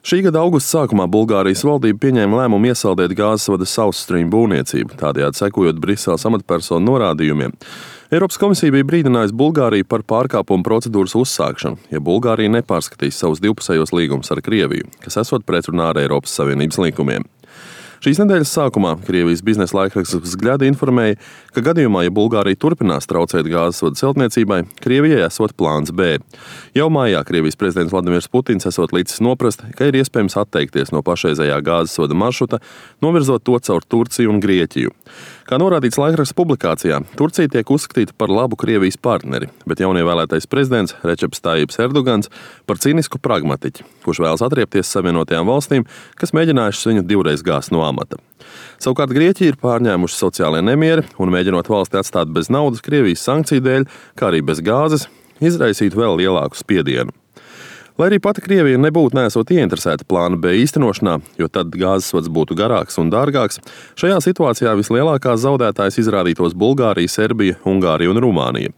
Šī gada augusta sākumā Bulgārijas valdība pieņēma lēmumu iesaldēt gāzes vada South Stream būvniecību, tādējādi sekojot Briseles amatpersonu norādījumiem. Eiropas komisija bija brīdinājusi Bulgāriju par pārkāpumu procedūras uzsākšanu, ja Bulgārija nepārskatīs savus divpusējos līgumus ar Krieviju, kas esot pretrunā ar Eiropas Savienības likumiem. Šīs nedēļas sākumā Krievijas biznesa laikraksts Vzgļada informēja, ka gadījumā, ja Bulgārija turpinās traucēt gāzes vadu celtniecībai, Krievijai esot plāns B. Jau mājā Krievijas prezidents Vladimirs Putins esot licis noprast, ka ir iespējams atteikties no pašreizējā gāzes vada maršruta, novirzot to caur Turciju un Grieķiju. Kā norādīts laikraksta publikācijā, Turcija tiek uzskatīta par labu Krievijas partneri, bet jaunievēlētais prezidents Receps Tajjips Erdogans par cīnisku pragmatiķi, kurš vēlas atriepties Savienotajām valstīm, kas mēģinājušas viņu divreiz gāzt no amata. Savukārt Grieķija ir pārņēmuši sociālie nemieri un mēģinot valsti atstāt bez naudas Krievijas sankciju dēļ, kā arī bez gāzes, izraisītu vēl lielāku spiedienu. Lai arī pati Krievija nebūtu nesot ieinteresēta plāna B īstenošanā, jo tad gāzes vads būtu garāks un dārgāks, šajā situācijā vislielākās zaudētājas izrādītos Bulgārija, Serbija, Ungārija un Rumānija.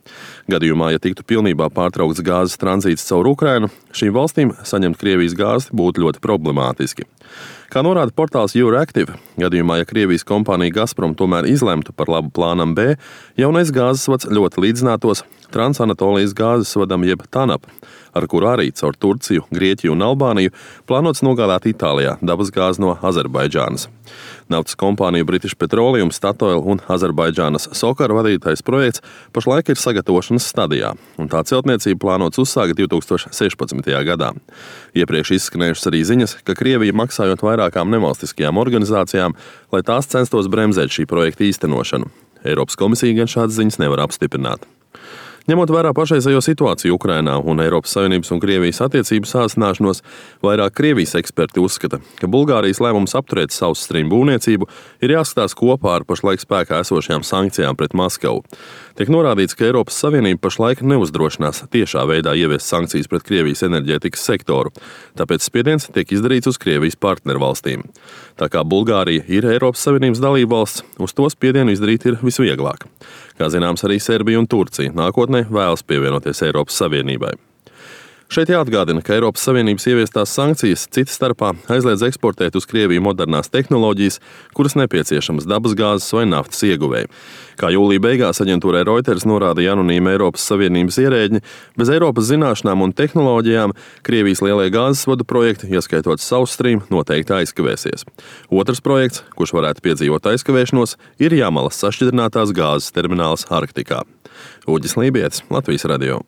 Gadījumā, ja tiktu pilnībā pārtraukts gāzes tranzīts caur Ukrainu, šīm valstīm saņemt Krievijas gāzi būtu ļoti problemātiski. Kā norāda portāls Euractiv, gadījumā, ja Krievijas kompānija Gazprom tomēr izlemtu par labu plānam B, jaunais gāzes vads ļoti līdzinātos Transanatolijas gāzes vadam jeb TANAP, ar kuru arī caur Turciju, Grieķiju un Albāniju plānots nogādāt Itālijā dabas gāzi no Azerbaidžānas. Naftas kompāniju British Petroleum, Statoil un Azerbaidžānas Sokar vadītais projekts pašlaik ir sagatavošanas stadijā, un tā celtniecība plānots uzsākt 2016. gadā. Iepriekš izskanējušas arī ziņas, ka Krievija maksājot vairākām nevalstiskajām organizācijām, lai tās censtos bremzēt šī projekta īstenošanu. Eiropas komisija gan šādas ziņas nevar apstiprināt. Ņemot vērā pašreizējo situāciju Ukrainā un Eiropas Savienības un Krievijas attiecību sāsināšanos, vairāk Krievijas eksperti uzskata, ka Bulgārijas lēmums apturēt South Stream būvniecību ir jāskatās kopā ar pašlaik spēkā esošajām sankcijām pret Maskavu. Tiek norādīts, ka Eiropas Savienība pašlaik neuzdrošinās tiešā veidā ieviest sankcijas pret Krievijas enerģētikas sektoru, tāpēc spiediens tiek izdarīts uz Krievijas partnervalstīm. Tā kā Bulgārija ir Eiropas Savienības dalībvalsts, uz to spiedienu izdarīt ir visvieglāk. Kā zināms, arī Serbija un Turcija nākotnē vēlas pievienoties Eiropas Savienībai. Šeit jāatgādina, ka Eiropas Savienības ieviestās sankcijas cita starpā aizliedz eksportēt uz Krieviju modernās tehnoloģijas, kuras nepieciešamas dabasgāzes vai naftas ieguvēji. Kā jūlija beigās aģentūrai Reuters norādīja anonīmi Eiropas Savienības ierēģi, bez Eiropas zināšanām un tehnoloģijām Krievijas lielie gāzes vadu projekti, ieskaitot South Stream, noteikti aizkavēsies. Otrs projekts, kurš varētu piedzīvot aizkavēšanos, ir Jamalas sašķidrinātās gāzes termināls Arktikā. Uģis Lībietis, Latvijas radio.